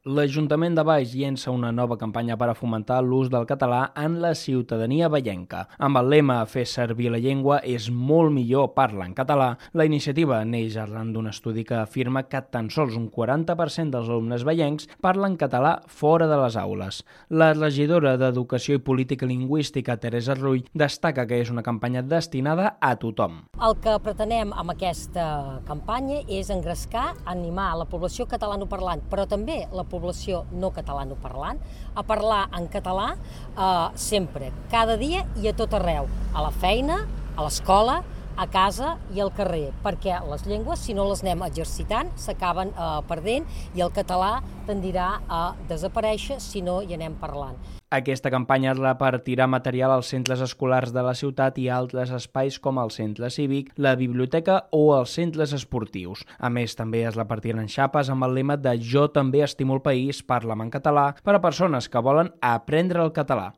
L'Ajuntament de Valls llença una nova campanya per a fomentar l'ús del català en la ciutadania vallenca. Amb el lema "Fer servir la llengua és molt millor parlar en català", la iniciativa neix arran d'un estudi que afirma que tan sols un 40% dels alumnes vallencs parlen català fora de les aules. La regidora d'Educació i Política Lingüística, Teresa Rull, destaca que és una campanya destinada a tothom. El que pretenem amb aquesta campanya és engrescar, animar la població catalanoparlant, però també la població no catalanoparlant, a parlar en català sempre, cada dia i a tot arreu, a la feina, a l'escola, a casa i al carrer, perquè les llengües, si no les anem exercitant, s'acaben perdent i el català tendirà a desaparèixer si no hi anem parlant. Aquesta campanya es repartirà material als centres escolars de la ciutat i altres espais com el centre cívic, la biblioteca o els centres esportius. A més, també es repartiran xapes amb el lema de "Jo també estimo el país, parla'm en català", per a persones que volen aprendre el català.